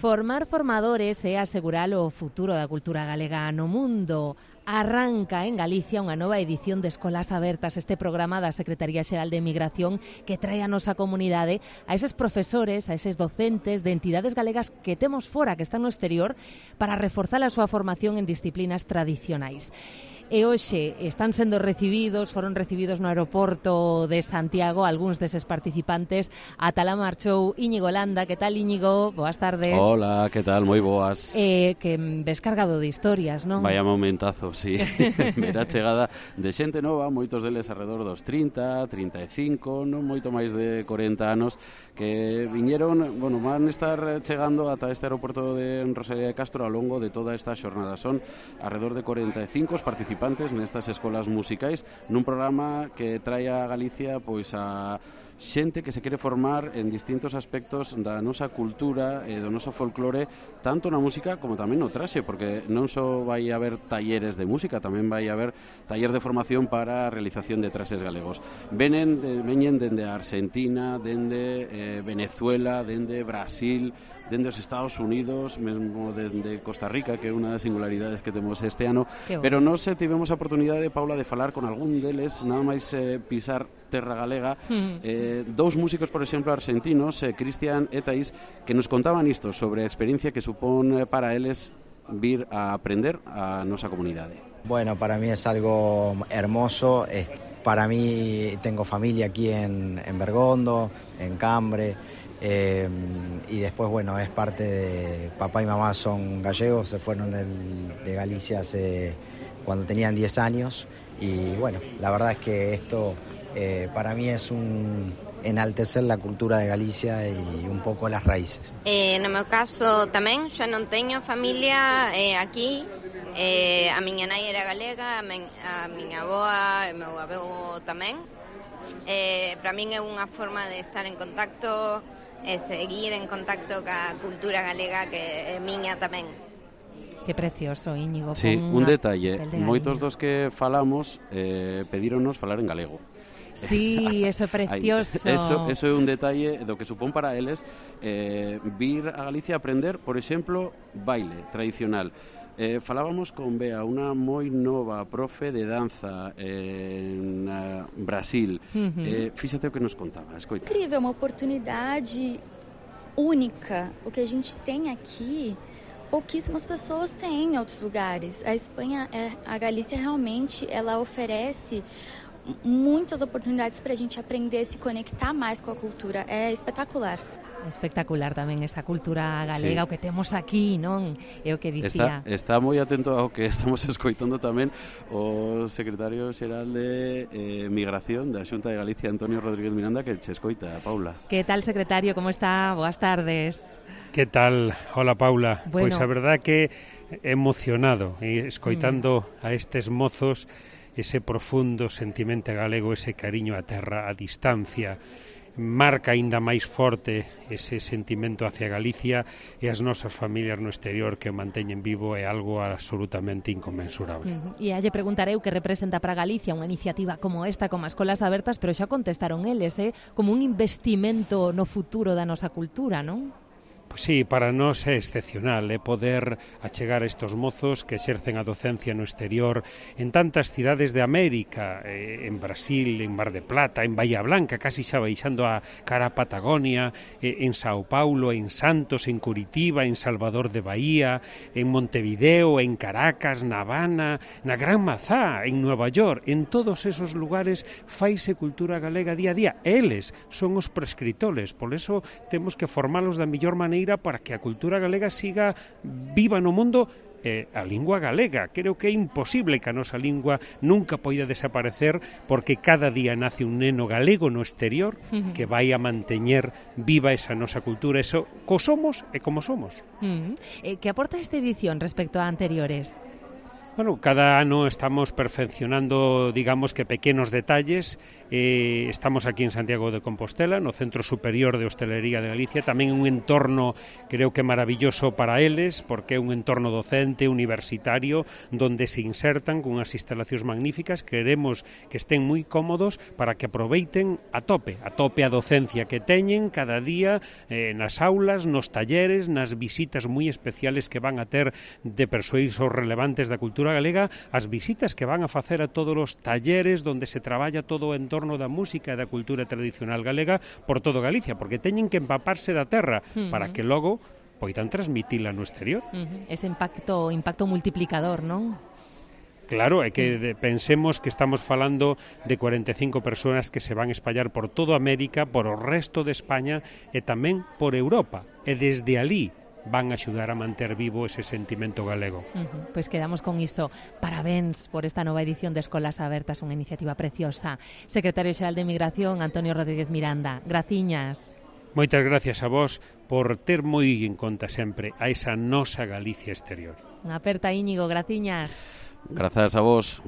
Formar formadores é asegurar o futuro da cultura galega no mundo. Arranca en Galicia unha nova edición de Escolas Abertas, este programa da Secretaría Xeral de Migración que trae a nosa comunidade a eses profesores, a eses docentes de entidades galegas que temos fora, que están no exterior, para reforzar a súa formación en disciplinas tradicionais. E hoxe están sendo recibidos, foron recibidos no aeroporto de Santiago algúns deses participantes. Ata la marchou Íñigo Landa. Que tal, Íñigo? Boas tardes. Hola, que tal? Moi boas. Que ves cargado de historias, non? Vaya momentazo, sí. Mera chegada de xente nova, moitos deles alrededor dos 30, 35, non moito máis de 40 anos, que viñeron, bueno, van estar chegando ata este aeroporto de Rosalía de Castro ao longo de toda esta xornada. Son alrededor de 45 os participantes nestas escolas musicais nun programa que trae a Galicia pois a xente que se quere formar en distintos aspectos da nosa cultura e do noso folclore, tanto na música como tamén no traxe, porque non só vai haber talleres de música, tamén vai haber taller de formación para a realización de traxes galegos. Veñen dende Argentina, dende Venezuela, dende Brasil, dende os Estados Unidos, mesmo dende Costa Rica, que é unha das singularidades que temos este ano, pero nós tivemos a oportunidade, Paula, de falar con algún deles, nada máis pisar terra galega, dous músicos, por exemplo, argentinos, Cristian e Thaís, que nos contaban isto sobre a experiencia que supón para eles vir a aprender a nosa comunidade. Bueno, para mí es algo hermoso. Para mí, tengo familia aquí en Bergondo, en Cambre, y después, bueno, es parte de... Papá y mamá son gallegos, se fueron de Galicia cuando tenían 10 años, y bueno, la verdad es que esto para mí es enaltecer la cultura de Galicia y un pouco las raíces. No meu caso tamén, xa non teño familia aquí. A miña nai era galega, a miña avoa e meu avó tamén. Para min é unha forma de estar en contacto e seguir en contacto ca cultura galega que é miña tamén. Que precioso, Íñigo. Sí, un detalle, moitos dos que falamos pedíronos falar en galego. Sí, eso é precioso. Eso é un detalle do que supón para eles vir a Galicia a aprender, por exemplo, baile tradicional. Falábamos con Bea, unha moi nova profe de danza en Brasil. Fíxate o que nos contaba, escoita. Incrível, uma oportunidade única. O que a gente tem aqui, pouquíssimas pessoas têm em outros lugares. A Espanha, a Galícia realmente, ela oferece muitas oportunidades para a gente aprender, se conectar mais com a cultura. É espetacular. Espectacular tamén esa cultura galega, sí. O que temos aquí, non? É o que dicía. Está moi atento ao que estamos escoitando tamén o secretario xeral de Migración da Xunta de Galicia, Antonio Rodríguez Miranda, que che escoita, Paula. Que tal, secretario? Como está? Boas tardes. Que tal? Hola, Paula. Bueno. Pois a verdad que emocionado escoitando a estes mozos ese profundo sentimento galego, ese cariño á terra, a distancia, marca aínda máis forte ese sentimento hacia Galicia e as nosas familias no exterior que o manteñen vivo é algo absolutamente inconmensurable. E lle preguntarei o que representa para Galicia unha iniciativa como esta, como as Escolas Abertas, pero xa contestaron eles, como un investimento no futuro da nosa cultura, non? Pois sí, para nós é excepcional poder achegar a estos mozos que exercen a docencia no exterior en tantas cidades de América, en Brasil, en Mar de Plata, en Bahía Blanca, casi xa baixando a cara a Patagonia, en Sao Paulo, en Santos, en Curitiba, en Salvador de Bahía, en Montevideo, en Caracas, na Habana, na Gran Mazá, en Nueva York. En todos esos lugares faise cultura galega día a día. Eles son os prescritores, por eso temos que formalos da mellor maneira para que a cultura galega siga viva no mundo. A lingua galega, creo que é imposible que a nosa lingua nunca poida desaparecer, porque cada día nace un neno galego no exterior que vai a manteñer viva esa nosa cultura, eso co somos e como somos. Que aporta esta edición respecto a anteriores? Bueno, cada ano estamos perfeccionando, digamos que pequenos detalles. Estamos aquí en Santiago de Compostela, no Centro Superior de Hostelería de Galicia, tamén un entorno creo que maravilloso para eles, porque é un entorno docente, universitario, donde se insertan con unhas instalacións magníficas. Queremos que estén moi cómodos para que aproveiten a tope a docencia que teñen cada día nas aulas, nos talleres, nas visitas moi especiales que van a ter de persoeiros relevantes da cultura galega, as visitas que van a facer a todos os talleres onde se traballa todo o entorno da música e da cultura tradicional galega por todo Galicia, porque teñen que empaparse da terra para que logo poidan transmitila no exterior. Ese impacto multiplicador, non? Claro, é que pensemos que estamos falando de 45 persoas que se van a espallar por toda América, por o resto de España e tamén por Europa. E desde alí van a axudar a manter vivo ese sentimento galego. Pois quedamos con iso. Parabéns por esta nova edición de Escolas Abertas, unha iniciativa preciosa. Secretario Xeral de Migración, Antonio Rodríguez Miranda. Graciñas. Moitas gracias a vos por ter moi en conta sempre a esa nosa Galicia exterior. Unha aperta, Íñigo. Graciñas. Grazas a vos.